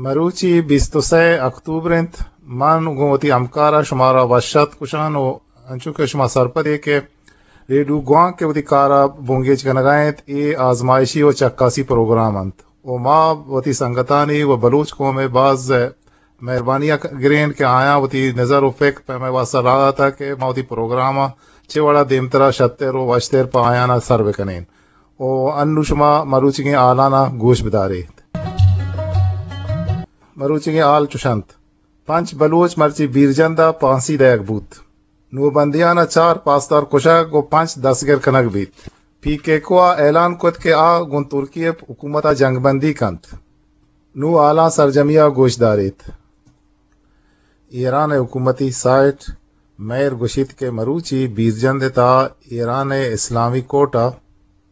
مروچی بیست و سئے اکتوبر انت۔ من گوں وتی ہمکار ءَ شمارا وش آتک گوشان و انچو کہ شما سرپدے کہ ریڈیو گوانک کہ وتی کار ءَ بنگیج کنگ ءَ انت، اے آزمائشی و چکاسی پروگرام انت و ما وتی سنگتانی و بلوچ قوم ءِ باز مہربانی ءَ گرین کہ آیاں وتی نظر و فکر پہ مئے واستہ راہ داتگ کہ ما وتی پروگرام ءَ چہ وڑا دیمترا شتر و وشتر پہ آیانا سر بکنین۔ و انو شما مروچیگیں حالان ءَ گوش بداریت۔ مروچیگیں حال چوش انت۔ پنچ بلوچ مرچی بیرجند ءَ پانسی دئیگ بوت۔ نوبندیان ءَ چار پاسدار کشگ و پنچ دستگر کنگ بیت۔ پی کے کو ءَ اعلان کت کہ آ گوں ترکی ءِ حکومت ءَ جنگ بندی کنت۔ نوں حالاں سرجمی ءَ گوش داریت۔ ایران ءِ حکومتی سائٹ مہر گوشیت کہ مروچی بیرجند ءِ تہا ایران ءِ اسلامی کورٹ ءَ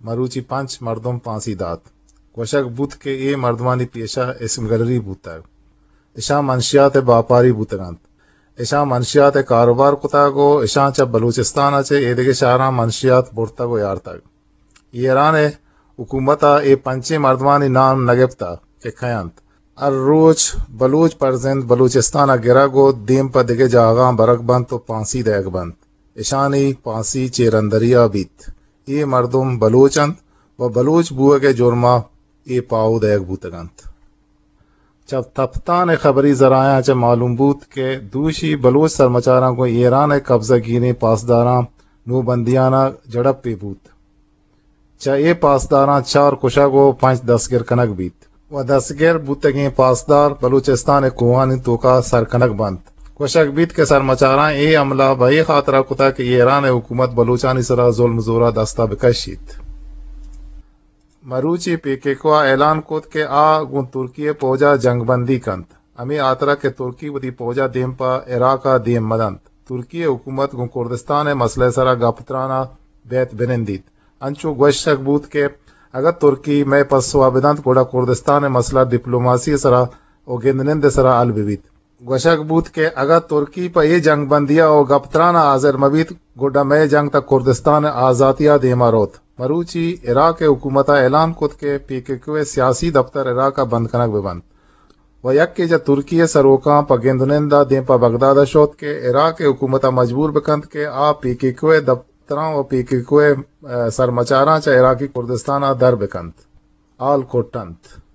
مروچی پنچ مردم پانسی دات۔ گوشگ بوت کہ اے مردمانی پیشہ اسم گلری بوتگ۔ اشاں منشیات ءِ باپاری بوتگ انت۔ اشاں منشیات ءِ کاروبار کتگ و اشاں چہ بلوچستان ءَ چہ ایدگہ شہراں منشیات برتگ و یارتگ۔ ایران ءِ حکومت ءَ اے پنچیں مردمانی نام نہ گپتہ کہ کئے انت۔ ہر روچ بلوچ پرزند بلوچستان ءَ گرگ و دیم پہ دگہ جاگہاں برگ بنت و پانسی دئیگ بنت۔ اشانی پانسی چیرندری ءَ بیت۔ اے مردم بلوچ انت و بلوچ بوئگ ءِ جرم ءَ اے پاہو دئیگ بوتگ انت۔ چہ تپتان ءِ خبری ذرائعاں چہ معلوم بوت کہ دوشی بلوچ سرمچاراں گوں ایران ءِ قبضہ گیریں پاسداراں نوبندیان ءَ جھڑپے بوت۔ چہ اے پاسداراں چار کشگ و پنچ دستگر کنگ بیت و دستگر بوتگیں پاسدار بلوچستان ءِ کوہانی توکا سر کنگ بنت۔ گوشگ بیت کہ سرمچاراں اے حملہ بہ اے خاطرا کتگ کہ ایران ءِ حکومت بلوچانی سرا ظلم زورا دستا بکشیت۔ مروچی پی کے کو ءَ اعلان کت کہ آ گوں ترکی ءِ پوج ءَ جنگ بندی کنت، ہمے ہاترا کہ ترکی وتی پوج ءَ دیم پہ عراق ءَ دیم مہ دنت۔ ترکی ءِ حکومت گوں کردستان ءِ مسئلہ ءِ سرا گپ تران ءَ بیت بنندیت۔ انچو گوشگ بوت کہ اگاں ترکی مئے پسو ءَ بدنت، گڑا کردستان ءِ مسئلہ ڈپلوماسی ءِ سرا و گندنند ءِ سرا حل بہ بیت۔ گوشگ بوت کہ اگاں ترکی پہ اے جنگ بندی ءَ و گپ تران ءَ حاضر مہ بیت، گڈا مئے جنگ تاں کردستان ءِ آزاتی ءَ دیما روت۔ مروچی عراق ءِ حکومت ءَ اعلان کت کہ پی کے کیو ءِ سیاسی دپتر عراق ءَ بند کنگ بہ بنت و یکے چہ ترکی ءِ سروکاں پہ گند و نند ءَ دیم پہ بغداد ءَ شت کہ عراق ءِ حکومت ءَ مجبور بہ کنت کہ آ پی کے کیو ءِ دپتراں و پی کے کیو ءِ، ءَ، سرمچاراں چہ عراقی کردستان ءَ در بہ کنت۔ حال کٹ انت۔